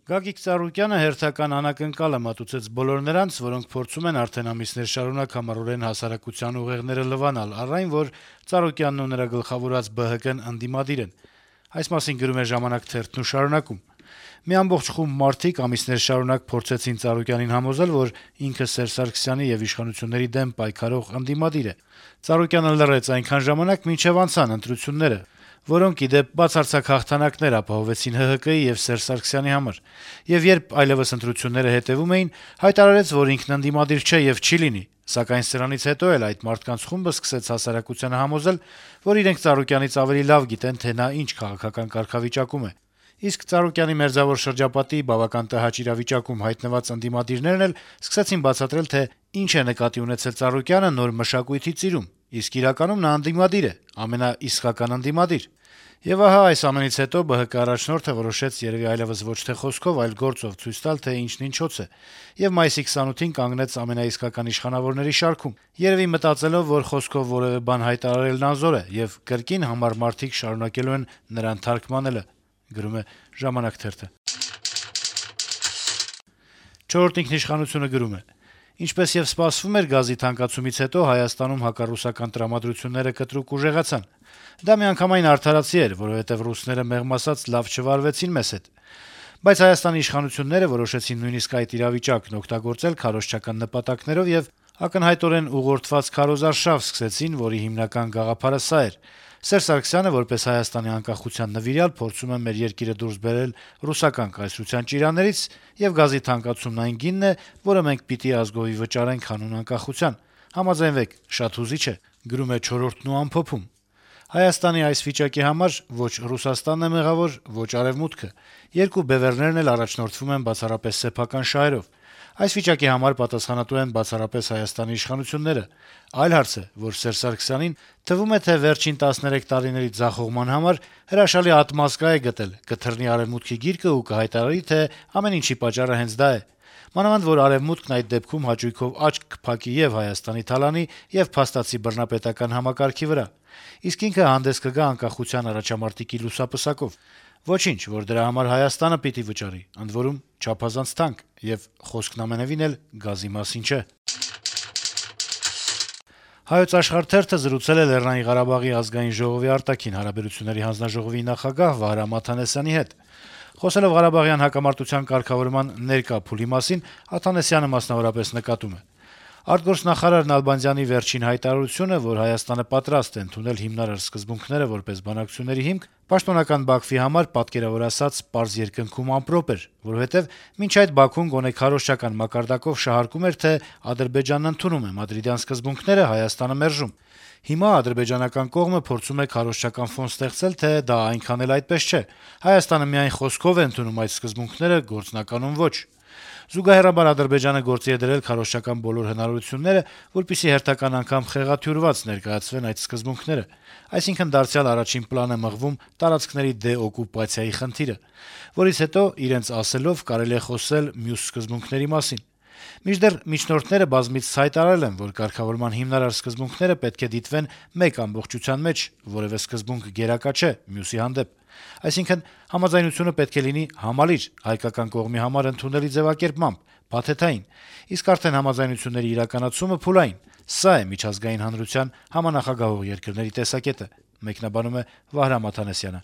Գագիկ Ծառուկյանը հերթական անակնկալ է մատուցեց բոլոր նրանց, որոնք փորձում են արդեն ամիսներ շարունակ համառորեն հասարակության ուղեղները լվանալ, առ այն, որ Ծառուկյանն ու նրա գլխավորած ԲՀԿ-ն ընդդիմադիր են։ Այս մասին գրում է «Ժամանակ» թերթն ու շարունակում. - «Մի ամբողջ խումբ մարդիկ ամիսներ շարունակ փորձեցին Ծառուկյանին համոզել, որ ինքը Սերժ Սարգսյանի եւ իշխանությունների դեմ պայքարող ընդդիմադիր է։ Ծառուկյանը լռեց այնքան ժամանակ, մինչեւ անցան ընտրությունները, որոնք, ի դեպ, բացարձակ հաղթանակներ ապահովեցին ՀՀԿ-ի եւ Սերժ Սարգսյանի համար, եւ երբ այլեւս ընտրությունները հետեւում էին, հայտարարեց, որ ինքն ընդդիմադիր չէ եւ չի լինի, սակայն սրանից հետո էլ այդ մարդկանց խումբը սկսեց հասարակությանը համոզել, որ իրենք Ծառուկյանից ավելի լավ գիտեն, թե նա ինչ քաղաքական կարգավիճակում է։ Իսկ Ծառուկյանի մերձավոր շրջապատի բավական տհաճ իրավիճակում հայտնված ընդդիմադիրներն էլ սկսեցին բացատրել, թե ինչ է նկատի ունեցել Ծառուկյանը նոր մշակույթի ծիրում, իսկ իրականում նա ընդդիմադիր է, ամենաիսկական ընդդիմադիր։ Եվ ահա այս ամենից հետո ԲՀԿ առաջնորդը որոշեց երեւի այլեւս ոչ թե խոսքով, այլ գործով ցույց տալ, թե ինչն ինչոց է, եւ մայիսի 28-ին կանգնեց ամենաիսկական իշխանավորների շարքում, երեւի մտածելով, որ խոսքով որեւէ բան հայտարարելն անզոր է, եւ կրկին համառ մարդիկ շարունակելու են նրան թարգմանելը»։ «Չորրորդ ինքնիշխանություն»-ը գրում է. - «Ինչպես եւ սպասվում էր, գազի թանկացումից հետո Հայաստանում հակառուսական տրամադրությունները կտրուկ ուժեղացան։ Դա միանգամայն արդարացի էր, որովհետեւ ռուսները մեղմ ասած լավ չվարվեցին մեզ հետ։ Բայց Հայաստանի իշխանությունները որոշեցին նույնիսկ այդ իրավիճակն օգտագործել քարոզչական նպատակներով եւ ակնհայտորեն ուղղորդված քարոզարշավ սկսեցին, որի հիմնական գաղափարը սա էր. Սերժ Սարգսյանը, որպես Հայաստանի անկախության նվիրյալ, փորձում է մեր երկիրը դուրս բերել ռուսական կայսրության ճիրաներից, եւ գազի թանկացումն այն գինն է, որը մենք պիտի ազգովի վճարենք հանուն անկախության։ Համաձայնվեք, շատ հուզիչ է»։ «Չորրորդն» ու ամփոփում. - «Հայաստանի այս վիճակի համար ոչ Ռուսաստանն է մեղավոր, ոչ Արեւմուտքը։ Երկու բեւեռներն էլ առաջնորդվում են բացառապես սեփական շահերով։ Այս վիճակի համար պատասխանատու են բացառապես Հայաստանի իշխանությունները։ Այլ հարց է, որ Սերժ Սարգսյանին թվում է, թե վերջին 13 տարիների ձախողման համար հրաշալի ատմասկա է գտել, կթռնի Արեւմուտքի գիրկը ու կհայտարարի, թե ամեն ինչի պատճառը հենց դա է։ Մանավանդ որ Արեւմուտքն այդ դեպքում հաճույքով աչք կփակի եւ Հայաստանի թալանի, եւ փաստացի բռնապետական համակարգի վրա։ Իսկ ինքը հանդես կգա անկախության առաջամարտիկի լուսապսակով։ Ոչինչ, որ դրա համար Հայաստանը պիտի վճարի, ընդ որում չափազանց թանկ, եւ խոսքն ամենեւին էլ գազի մասին չէ»։ «Հայոց Աշխարհ» թերթը զրուցել է Լեռնային Ղարաբաղի ազգային ժողովի արտաքին հարաբերությունների հանձնաժողովի նախագահ Վահրամ Աթանեսյանի հետ։ Խոսելով Ղարաբաղյան հակամարտության կարգավորման ներկա փուլի մասին, Աթանեսյանը մասնավորապես նկատում է. - «Արտգործնախարար Նալբանդյանի վերջին հայտարարությունը, որ Հայաստանը պատրաստ է ընդունել հիմնարար սկզբունքները որպես բանակցությունների հիմք, պաշտոնական Բաքվի համար, պատկերավոր ասած, պարզ երկնքում ամպրոպ էր, որովհետեւ մինչ այդ Բաքուն գոնե քարոզչական մակարդակով շահարկում էր, թե Ադրբեջանն ընդունում է մադրիդյան սկզբունքները, Հայաստանը մերժում։ Հիմա ադրբեջանական կողմը փորձում է քարոզչական ֆոն ստեղծել, թե դա այնքան էլ այդպես չէ։ Հայաստանը միայն խոսքով է ընդունում այդ սկզբունքները, գործնականում ոչ։ Զուգահեռաբար Ադրբեջանը գործի է դրել քարոզչական բոլոր հնարավորությունները, որպեսզի հերթական անգամ խեղաթյուրված ներկայացվեն այդ սկզբունքները։ Այսինքն դարձյալ առաջին պլան է մղվում տարածքների դեօկուպացիայի խնդիրը, որից հետո իրենց ասելով կարելի է խոսել մյուս սկզբունքների մասին։ Մինչդեռ միջնորդները բազմիցս հայտարարել են, որ կարգավորման հիմնարար սկզբունքները պետք է դիտվեն մեկ ամբողջության մեջ, որեւէ սկզբունք գերակա չէ մյուսի հանդեպ։ Այսինքն համաձայնությունը պետք է լինի համալիր, հայկական կողմի համար ընդունելի ձեւակերպմամբ, փաթեթային, իսկ արդեն համաձայնությունների իրականացումը փուլային։ Սա է միջազգային հանրության համանախագահող երկրների տեսակետը»։ Վահրամ Աթանեսյանը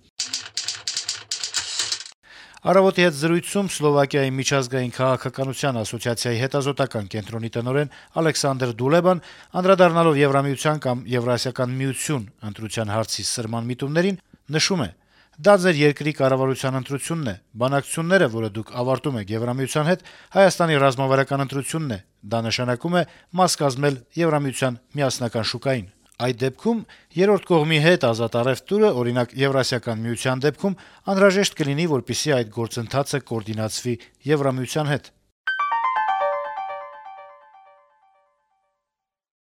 «Առավոտ»-ի հետ զրույցում Սլովակիայի միջազգային քաղաքականության ասոցիացիայի հետազոտական կենտրոնի տնօրեն Ալեքսանդր Դուլեբան, անդրադառնալով Եվրամիության կամ Եվրասիական միություն ընտրության հարցի սրման միտումներին, նշում է. «Դա ձեր երկրի կառավարության ընտրությունն է, բանակցությունները, որը դուք ավարտում եք Եվրամիության հետ, Հայաստանի ռազմավարական ընտրությունն է, դա նշանակում է մաս կազմել Եվրամիության միասնական շուկային։ Այդ դեպքում երրորդ կողմի հետ ազատ առեւտուրը, օրինակ Եվրասիական միության դեպքում, անհրաժեշտ կլինի, որպեսզի այդ գործընթացը կոորդինացվի Եվրամիության հետ»։